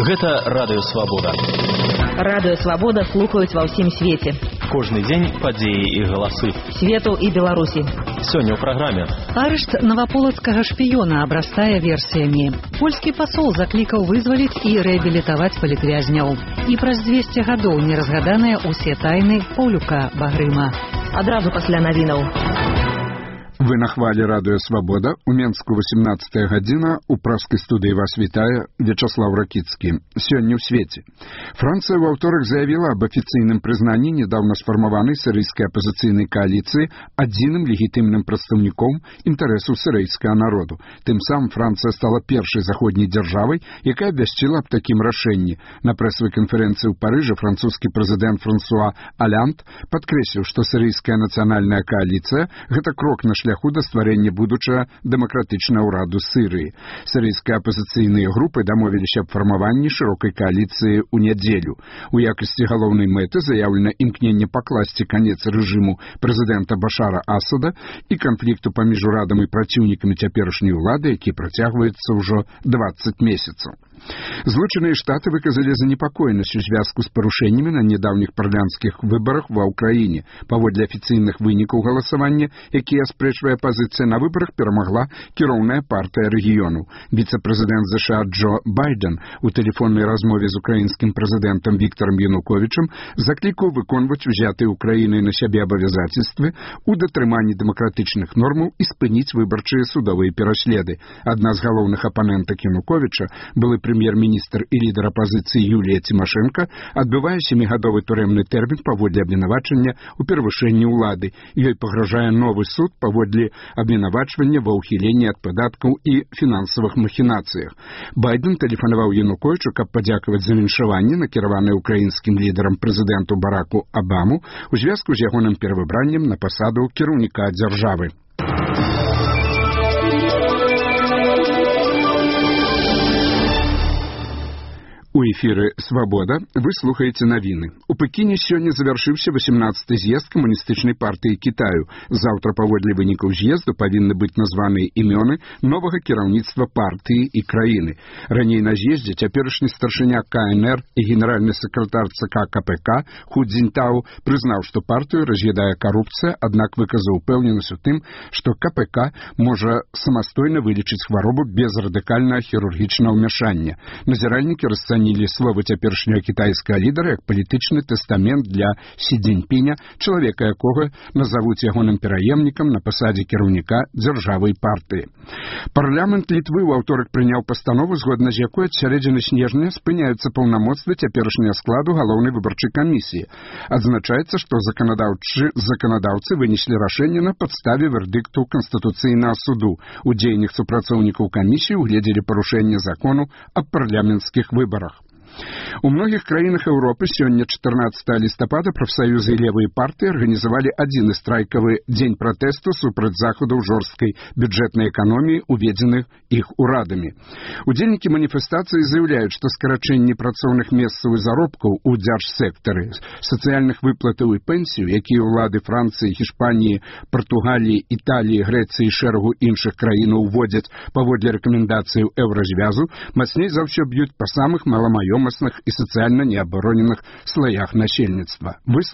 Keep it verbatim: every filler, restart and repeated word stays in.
Гэта Радыё Свабода. Радыё Свабода слухаюць ва ўсім свеце. Кожны дзень падзеі і галасы. Свету і Беларусі. Сёння ў праграме. Арышт наваполацкага шпіёна абрастае версіямі. Польскі пасол заклікаў вызваліць і рэабілітаваць палітвязняў. І праз дзвесце гадоў не разгаданыя ўсе тайны Паўлюка Багрыма. Адразу пасля навінаў. Вы на хвале Радыё Свабода. У Менску восемнадцатая гадзіна. У праскай студыі вас вітае Вячаслав Ракіцкі. Сёння ў свеце. Францыя ва ўторак заявіла об афіцыйным прызнанні недавно сфармаванай сірыйскай апазіцыйнай кааліцыі адзіным легітымным прадстаўніком інтарэсаў сірыйскага народу. Тым самым Францыя стала першай заходняй дзяржавай, якая абвясціла аб такім рашэнні. На прэсавай канферэнцыі ў Парыжы французскі прэзідэнт Франсуа Алянт падкрэсліў, што сірыйская нацыянальная кааліцыя – гэта крок на шляху да стварэння будучага дэмакратычнага ўраду Сірыі. Сірыйскія апазіцыйныя групы дамовіліся аб фармаванні шырокай кааліцыі ў нядзелю. У якасці галоўнай мэты заяўлена імкненне пакласці канец рэжыму прэзідэнта Башара Асада і канфлікту паміж урадам і праціўнікамі цяперашняй улады, які працягваецца ўжо дваццаць месяцаў. Злучаныя Штаты выказалі занепакоенасць у звязку з парушэннямі на нядаўніх парламенцкіх выбарах ва ўкраіне. Паводле афіцыйных вынікаў галасавання, якія аспрэчвае апазіцыя, на выбарах перамагла кіроўная партыя рэгіёну. Віцэ-прэзідэнт ЗША Джо Байден у тэлефоннай размове з украінскім прэзідэнтам Віктарам Януковічам заклікаў выконваць узятыя Украінай на сябе абавязацельствы у датрыманні дэмакратычных нормаў і спыніць выбарчыя судовыя пераследы. Адна з галоўных апанентак Януковіча, былы прэм'ер-міністр і лідар апазіцыі Юлія Цімашэнка, адбывае сямігадовы турэмны тэрмін паводле абвінавачання ў перавышэнні ўлады. Ёй пагражае новы суд паводле абвінавачвання ва ўхіленні ад падаткаў і фінансавых махінацыях. Байден тэлефанаваў Януковічу, каб падзякаваць за віншаванне, накіраванае украінскім лідарам прэзідэнту Бараку Абаму у звязку з ягоным перавыбраннем на пасаду кіраўніка дзяржавы. У эфіры «Свабода» вы слухаеце навіны. У Пекіне сёння завяршыўся восемнадцаты з'езд камуністычнай партыі Кітаю. Заўтра паводле вынікаў з'езду павінны быць названыя імёны новага кіраўніцтва партыі і краіны. Раней на з'ездзе цяперашні старшыня КНР і генеральны сакратар ЦК КПК Ху Цзіньтау прызнаў, што партыю раз'ядае карупцыя, аднак выказаў упэўненасць у тым, што КПК можа самастойна вылечыць хваробу без радыкальнага хірургічнага ўмяшання. Назіральнікі расцанілі словы цяперашняга кітайскага лідара як палітычны тэстамент для Сі Цзіньпіня, чалавека якога назавуць ягоным пераемнікам на пасадзе кіраўніка дзяржавы і партыі. Парламент Літвы ў аўторак прыняў пастанову, згодна з якой ад сярэдзіны снежня спыняюцца паўнамоцтвы цяперашняга складу галоўнай выбарчай камісіі. Адзначаецца, што заканадаўчы заканадаўцы вынеслі рашэнне на падставе вердыкту Канстытуцыйнага суду. У дзеяннях супрацоўнікаў камісіі угледзелі парушэнне закону аб парламенцкіх выбарах. У многіх краінах Еўропы сёння чатырнаццатага лістапада прафсаюзы і левыя партыі арганізавалі адзіны страйкавы дзень пратэсту супраць захадаў жорсткай бюджэтнай эканоміі, уведзеных іх урадамі. Удзельнікі маніфестацыі заяўляюць, што скарачэнне працоўных месцаў і заробкаў у дзяржсектары, сацыяльных выплатаў і пенсію, якія ўлады Францыі, Гішпаніі, Партугаліі, Італіі, Грэцыі і шэрагу іншых краінаў уводзяць паводле рэкамендацыяў еўразвязу, мацней за ўсё б'юць па самых маламаёмасных і сацыяльна неабароненых слаях насельніцтва. Вы